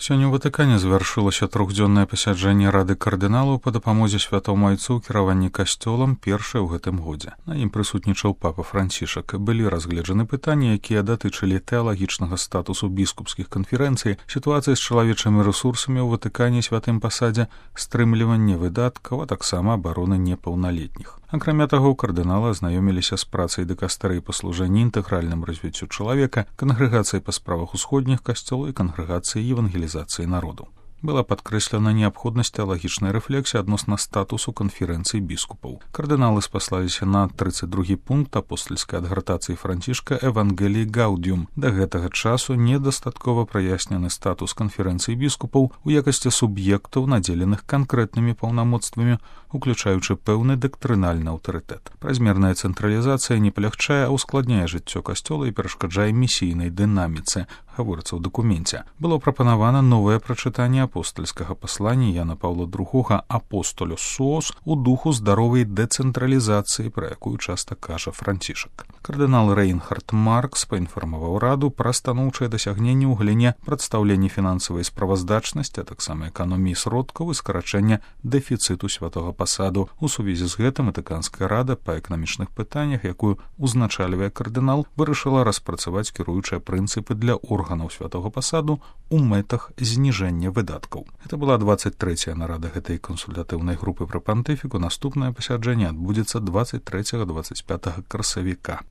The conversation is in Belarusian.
Сёння ў Ватыкане завяршылася трохдзённае пасяджэнне Рады кардыналаў па дапамозе святому айцу ў кіраванні касцёлам, першае ў гэтым годзе. На ім прысутнічаў папа Францішак. Былі разгледжаны пытанні, якія датычылі тэалагічнага статусу біскупскіх канферэнцый, сітуацыі з чалавечымі рэсурсамі ў Ватыкане святым пасадзе, стрымліванне выдаткаў, а таксама абароны непаўналетніх. Акрамя таго, кардыналы азнаёміліся з працай дыкастэрый па служэнні інтэгральным развіццю чалавека, кангрэгацыі па справах усходніх касцёлаў і кангрэгацыі евангелізацыі народу. Была падкрэслена неабходнасць тэалагічнай рэфлексіі адносна статусу канферэнцыі біскупаў. Кардыналы спаслаліся на 32 пункт апостальскай адгартацыі Францішка «Евангелii Gaudium». Да гэтага часу недастаткова праяснены статус канферэнцыі біскупаў у якасці суб'ектаў, надзеленых канкрэтнымі паўнамоцтвамі, уключаючы пэўны дактрынальны аўтарытэт. Празмерная цэнтралізацыя не палягчае, а ускладняе жыццё касцёла і перашкаджае місійнай дынаміцы, гаворыцца ў дакуменце. Было прапанавана новае прачытанне апостальскага паслання Яна Паўла II «Апостолюс Суос» у духу здаровай дэцэнтралізацыі, пра якую часта кажа Францішак. Кардынал Рэйнхард Маркс паінфармаваў раду пра станоўчыя дасягненні ў галіне прадстаўлення фінансавай справаздачнасці, а таксама эканоміі сродкаў і скарачэння дэфіцыту святога пасаду. У сувязі з гэтым Ватыканская рада па эканамічных пытаннях, якую узначальвае кардынал, вырашыла распрацаваць кіруючыя прынцыпы для органаў святога пасаду у мэтах зніжэння выдаткаў. Гэта была 23-я нарада гэтай кансультатыўнай групы пры пантыфіку. Наступнае пасяджэнне адбудзецца 23-25 красавіка.